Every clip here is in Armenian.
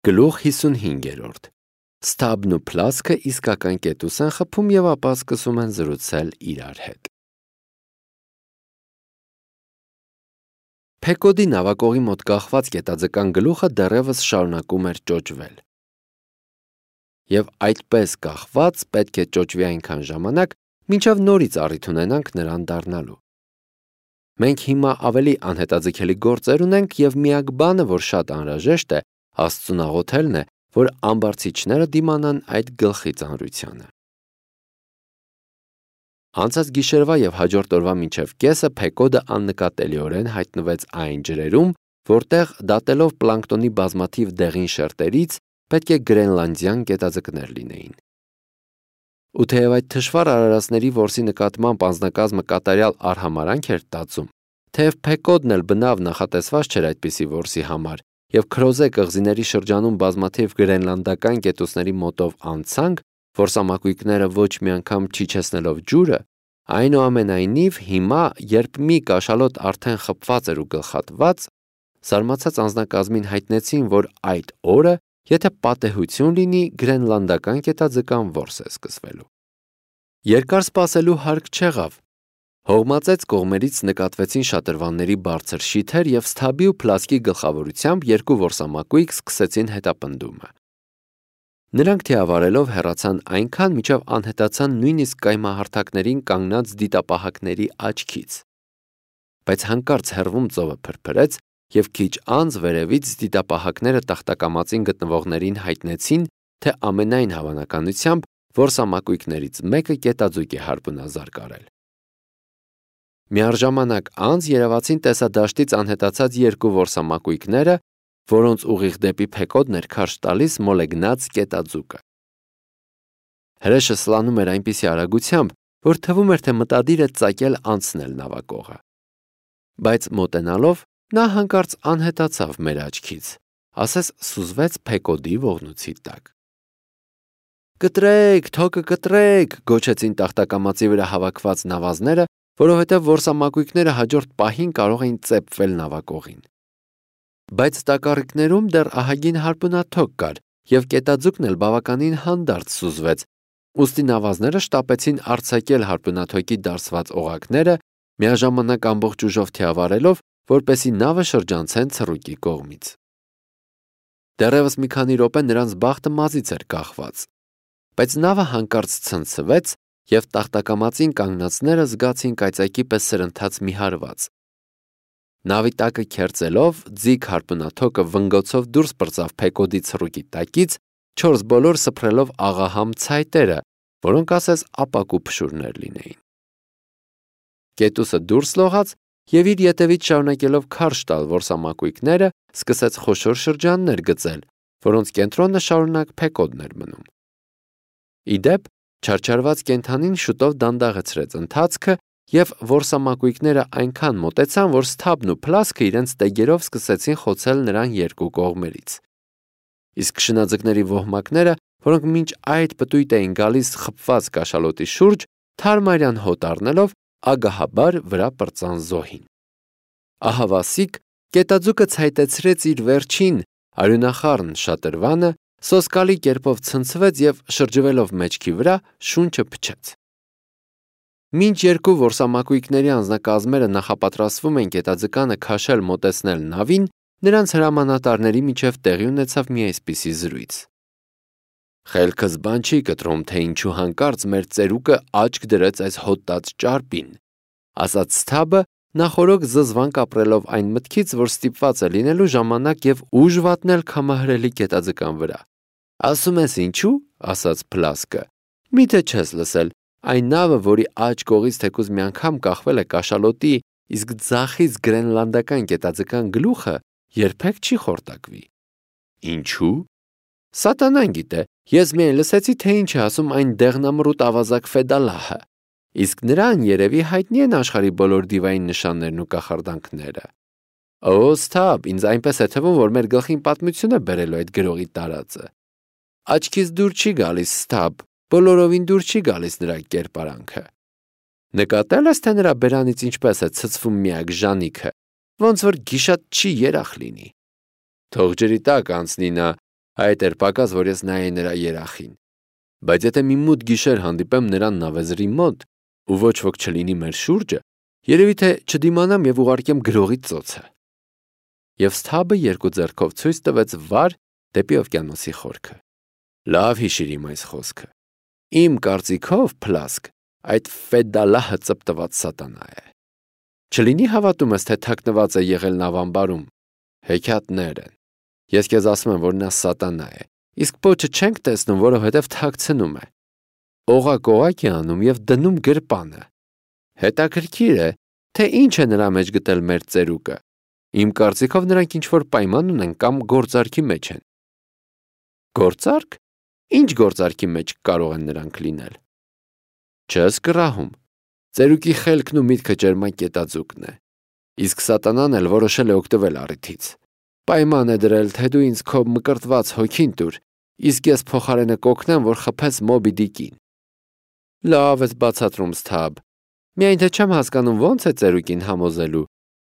Գլուխ 55 Սթաբն ու Պլասկը իսկական կետուս են խփում և ապա սկսում են զրուցել իրար հետ։ Փեկոդի նավակողի մոտ կախված կետաձկան գլուխը դեռևս շարունակում էր ճոճվել։ Եվ այդպես կախված պետք է ճոճվի այնքան ժամանակ, մինչև նորից առիթ ունենանք նրան դառնալու։ Մենք հիմա ավելի անհետաձգելի գործեր ունենք և միակ բանը, որ շատ անհրաժեշտ է, Աստծուն աղոթելն է, որ ամբարձիչները դիմանան այդ գլխի ծանրությանը։ Անցած գիշերվա և հաջորդ օրվա մինչև կեսը Փեկոդը աննկատելիորեն հայտնվեց այն ջրերում, որտեղ դատելով պլանկտոնի բազմաթիվ դեղին շերտերից պետք է գրենլանդյան կետաձկներ լինեին։ Ու թեև այդ թշվառ արարածների որսի նկատմամբ անձնակազմը կատարյալ արհամարհանք էր տածում, թեև Փեկոդն էլ բնավ նախատեսված չէր այդպիսի որսի համար, և Քրոզե կղզիների շրջանում բազմաթիվ գրենլանդական կետուսների մոտով անցանք, որսամակույկները ոչ մի անգամ չիջեցնելով ջուրը, այնուամենայնիվ հիմա, երբ մի կաշալոտ արդեն խփված էր ու գլխատված, զարմացած անձնակազմին հայտնեցին, որ այդ օրը, եթե պատեհություն լինի, գրենլանդական կետաձկան որս է սկսվելու։ Երկար սպասելու հարկ չեղավ։ Հողմածեց կողմերից նկատվեցին շատրվանների բարձր շիթեր և Սթաբի ու Պլասկի գլխավորությամբ երկու որսամակույկ սկսեցին հետապնդումը։ Նրանք թիավարելով հեռացան այնքան, մինչև անհետացան նույնիսկ կայմահարթակներին կանգնած դիտապահակների աչքից։ Բայց հանկարծ հեռվում ծովը փրփրեց, և քիչ անց վերևից դիտապահակները տախտակամածին գտնվողներին հայտնեցին, թե ամենայն հավանականությամբ որսամակույկներից մեկը կետաձուկ է հարբունազարգարել։ Միառժամանակ անց երևացին տեսադաշտից անհետացած երկու որսամակույկները, որոնց ուղիղ դեպի Փեկոդն էր քարշ տալիս մոլեգնած կետաձուկը։ Հրեշը սլանում էր այնպիսի արագությամբ, որ թվում էր, թե մտադիր է ծակել անցնել նավակողը։ Բայց մոտենալով նա հանկարծ անհետացավ մեր աչքից, ասես սուզվեց Փեկոդի ողնուցի տակ։ «Կտրեք, թոկը կտրեք», գոչեցին տախտակամածի վրա հավաքված նավազները, որովհետև որսամակույկները հաջորդ պահին կարող էին ծեփվել նավակողին։ Բայց տակառիկներում դեռ ահագին հարբունաթոք կար, և կետաձուկն էլ բավականին հանդարտ սուզվեց, ուստի նավազները շտապեցին արձակել հարբունաթոկի դարսված օղակները, միաժամանակ ամբողջ ուժով թիավարելով, որպեսզի նավը շրջանցեն ցռուկի կողմից։ Դեռևս մի քանի րոպե նրանց բախտը մազից էր կախված, բայց նավը հանկարծ ցնցվեց, և տախտակամածին կանգնածները զգացին կայծակի պես սրընթաց մի հարված։ Նավի տակը քերծելով, ձիգ հարբունաթոկը վնգոցով դուրս պրծավ Փեկոդի ցռուկի տակից, չորս բոլոր սփռելով աղահամ ցայտերը, որոնք ասես ապակու փշուրներ լինեին։ Կետուսը դուրս լողաց և իր ետևից շարունակելով քարշ տալ որսամակույկները, սկսեց խոշոր շրջաններ գծել, որոնց կենտրոնը շարունակ Փեկոդն էր մնում։ Ի դեպ, չարչարված կենդանին շուտով դանդաղեցրեց ընթացքը, և որսամակույկները այնքան մոտեցան, որ Սթաբն ու Պլասկը իրենց տեգերով սկսեցին խոցել նրան երկու կողմերից։ Իսկ շնաձկների ոհմակները, որոնք մինչ այդ պտույտ էին գալիս խփված կաշալոտի շուրջ, թարմարյան հոտ առնելով, ագահաբար վրա պրծան զոհին։ Ահավասիկ կետաձուկը ցայտեցրեց իր վերջին արյունախառն շատրվանը, սոսկալի կերպով ցնցվեց և շրջվելով մեջքի վրա շունչը փչեց։ Մինչ երկու որսամակույկների անձնակազմերը նախապատրաստվում էին կետաձկանը քաշել մոտեցնել նավին, նրանց հրամանատարների միջև տեղի ունեցավ մի այսպիսի զրույց. «Խելքս բան չի կտրում, թե ինչու հանկարծ մեր ծերուկը աչք դրեց այս հոտած ճարպին», ասաց Սթաբը, նախօրոք զզվանք ապրելով այն մտքից, որ ստիպված է լինելու ժամանակ և ուժ վատնել քամահրելի կետաձկան վրա։ «Ասում ես ինչու», ասաց Պլասկը, «միթե չես լսել, այն նավը, որի աջ կողից թեկուզ մի անգամ կախվել է կաշալոտի, իսկ ձախից գրենլանդական կետաձկան գլուխը, երբեք չի խորտակվի»։ «Ինչու»։ «Սատանան գիտե, ես միայն լսեցի, թե ինչ է ասում այն դեղնամռութ ավազակ Ֆեդալահը, իսկ նրան երևի հայտնի են աշխարհի բոլոր դիվային նշաններն ու կախարդանքները»։ «Օ, Սթաբ, ինձ այնպես է թվում, որ մեր գլխին պատմություն է բերելու այդ գրողի տարածը»։ «Աչքից դուր չի գալիս, Սթաբ, բոլորովին դուր չի գալիս նրա կերպարանքը։ Նկատել ես, թե նրա բերանից ինչպես է ցցվում միակ ժանիքը, ոնց որ գիշատ չի երախ լինի։ Թող ջրի տակ անցնի նա, Այդ էր պակաս, որ ես նայեի նրա երախին։ Բայց եթե մի մութ գիշեր հանդիպեմ նրան նավեզրի մոտ, ու ոչ ոք չլինի մեր շուրջը, երևի թե չդիմանամ եւ ուղարկեմ գրողի ծոցը։ Եվ Սթաբը երկու ձեռքով ցույց տվեց վար դեպի օվկիանոսի խորքը։ Լավ հիշիր իմ այս խոսքը։ Իմ կարծիքով, Փլասկ, այդ Ֆեդալահը ծպտված սատանա է։ Չլինի հավատում ես, թե թաքնված է եղել նավամբարում։ Հեքիաթներ են։ Ես քեզ ասում եմ, որ նա սատանա է։ Իսկ պոչը չենք տեսնում, որովհետև թաքցնում է։ Օղակ է անում եւ դնում գրպանը։ Հետաքրքիր է, թե ինչ է նրա մեջ գտել մեր ծերուկը։ Իմ կարծիքով նրանք ինչ-որ պայման ունեն կամ գործարքի մեջ են։ Գործարք։ Ինչ գործարքի մեջ կարող են նրանք լինել։ Չես կռահում։ Ծերուկի խելքն ու միտքը ջերմակ կետաձուկն է։ Իսկ սատանան էլ որոշել է օգտվել առիթից։ Պայման է դրել, թե դու ինձ քո մկրտված հոգին տուր, իսկ ես փոխարենը կօգնեմ, որ խփես Մոբի Դիկին։ Լավ ես բացատրում, Սթաբ։ Միայն թե չեմ հասկանում ոնց է ծերուկին համոզելու։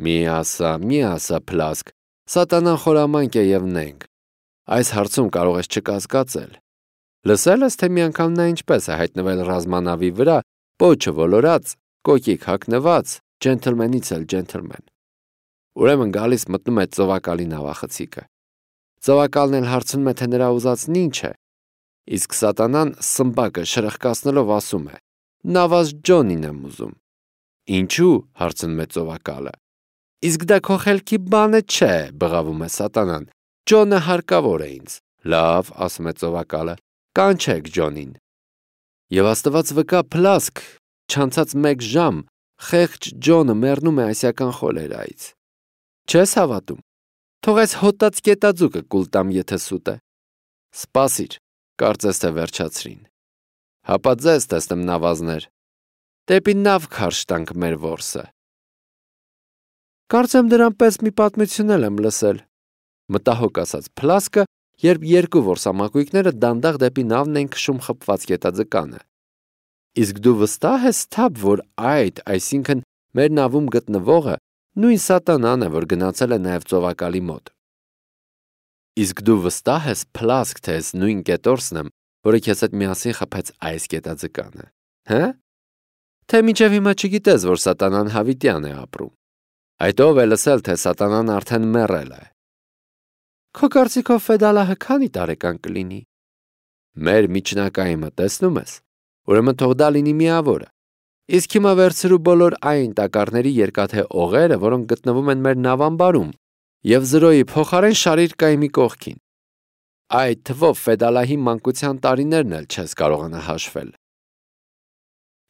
Մի ասա, Փլասկ, սատանան խորամանկ է եւ նենգ։ Այս հարցում կարող ես չկասկածել։ Լսել ես, թե մի անգամ նա ինչպես է հայտնվել ռազմանավի վրա, պոչը ոլորած, կոկիկ հագնված, ջենթլմենից էլ ջենթլմեն։ Ուրեմն գալիս մտնում է ծովակալի նավախցիկը։ Ծովակալն էլ հարցնում է, թե նրա ուզածն ինչ է։ Իսկ սատանան սմբակը շրխկացնելով ասում է. «Նավազ Ջոնին եմ ուզում»։ Ինչու՞, հարցնում է ծովակալը։ Իսկ դա քո խելքի բանը չէ, բղավում է սատանան։ Ջոնը հարկավոր է ինձ։ Լավ, ասում է ծովակալը, կանչեք Ջոնին։ Եվ աստված վկա, Փլասկ, չանցած 1 ժամ, խեղճ Ջոնը մեռնում է ասիական խոլերայից։ Չես հավատում։ Թող այս հոտած կետաձուկը կուլ տամ, եթե սուտ է։ Սպասիր, կարծես թե վերջացրին։ Հապա ձեզ տեսնեմ նավազներ։ Դեպի նավ քարշ տանք մեր որսը։ Կարծեմ դրան պես մի պատմություն եմ լսել։ Մտահոգ ասաց Փլասկը, երբ երկու որսամակույկները դանդաղ դեպի նավն են քշում խփված կետաձկանը։ Իսկ դու վստահ ես, Սթաբ, որ այսինքն մեր նավում գտնվողը նույն սատանան է, որ գնացել է նաև ծովակալի մոտ։ Իսկ դու վստահ ես, Փլասկ, թե ես նույն կետորսն եմ, որը քեզ հետ միասին խփեց այս կետաձկանը, հա՞։ Թե մինչև հիմա չգիտես, որ սատանան հավիտյան է ապրում։ Այդ ով է լսել, թե սատանան արդեն մեռել է։ Քո կարծիքով Ֆեդալահը քանի տարեկան կլինի։ Մեր միջնակայինը տեսնում ես։ Ուրեմն թող դա լինի միավորը։ Իսկ հիմա վերցրու բոլոր այն տակառների երկաթե օղերը, որոնք գտնվում են մեր նավամբարում, եւ զրոյի փոխարեն շարիր կայմի կողքին։ Այդ թվով Ֆեդալահի մանկության տարիներն էլ չես կարողանա հաշվել։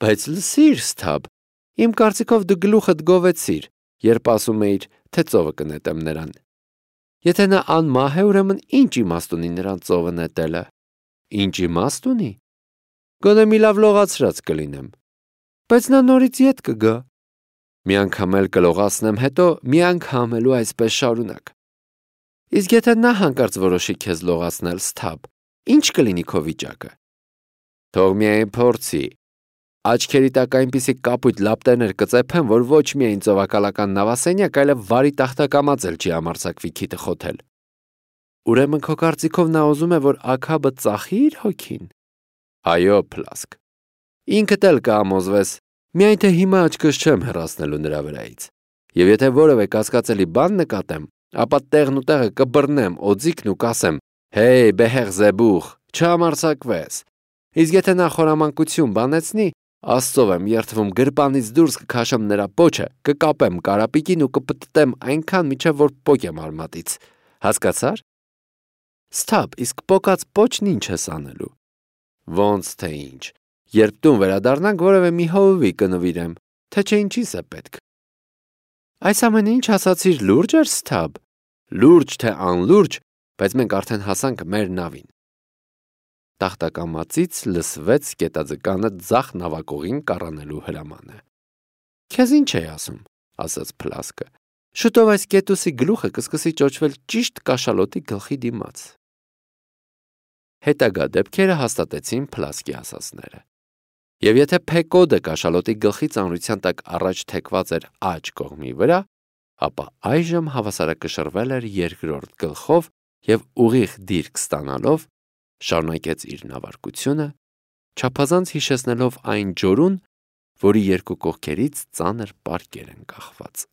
Բայց լսիր, Սթաբ, իմ կարծիքով դու գլուխդ գովեցիր, երբ ասում էիր, թե ծովը կնետեմ նրան։ Եթե նա անմահ է, ուրեմն ինչ իմաստ ունի նրան ծովը նետելը։ Ինչ իմաստ ունի։ Գոնե մի լավ լողացրած կլինեմ։ Բայց նա նորից ետ կգա։ Մի անգամ էլ կլողացնեմ, հետո մի անգամ էլ ու այսպես շարունակ։ Իսկ եթե նա հանկարծ որոշի քեզ լողացնել, Սթաբ, ինչ կլինի քո վիճակը։ Թող միայն փորձի։ Աչքերի տակ այնպիսի կապույտ լապտերներ կծեփեմ, որ ոչ միայն ծովակալական նավասենյակ, այլև վարի տախտակամած էլ չի համարձակվի քիթը խոթել։ Ուրեմն քո կարծիքով նա ուզում է, որ Աքաբը ծախի իր հոգին։ Այո, Փլասկ։ Ինքդ էլ կհամոզվես, միայն թե հիմա աչքս չեմ հեռացնելու նրա վրայից։ Եվ եթե որևէ կասկածելի բան նկատեմ, ապա տեղն ու տեղը կբռնեմ օձիքն ու կասեմ. «Հեյ, բեհեղ զեբուխ, չհամարձակվես»։ Իսկ եթե նա խորամանկություն բանեցնի, Աստծով եմ երդվում, գրպանից դուրս կքաշեմ նրա պոչը, կկապեմ կարապիկին ու կպտտեմ այնքան, մինչև որ պոկեմ արմատից։ Հասկացար։ Սթաբ, իսկ պոկած պոչն ինչ ես անելու։ Ոնց թե ինչ։ Երբ տուն վերադառնանք, որևէ մի հովվի կնվիրեմ, թե չէ ինչիս է պետք։ Այս ամենը ինչ ասացիր, լուրջ էր, Սթաբ։ Լուրջ թե անլուրջ, բայց մենք արդեն հասանք մեր նավին։ Տախտակամածից լսվեց կետաձկանը ձախ նավակողին կառանելու հրամանը։ Քեզ ինչ է ասում, ասաց Փլասկը։ Շուտով այս կետուսի գլուխը կսկսի ճոճվել ճիշտ կաշալոտի գլխի դիմաց։ Հետագա դեպքերը հաստատեցին Փլասկի ասածները։ Եվ եթե Փեկոդը կաշալոտի գլխի ծանրության տակ առաջ թեքված էր աջ կողմի վրա, ապա այժմ հավասարակշռվել էր երկրորդ գլխով, եւ ուղիղ դիրք ստանալով շարունակեց իր նավարկությունը, չափազանց հիշեցնելով այն ջորուն, որի երկու կողքերից ծանր պարկեր են կախված։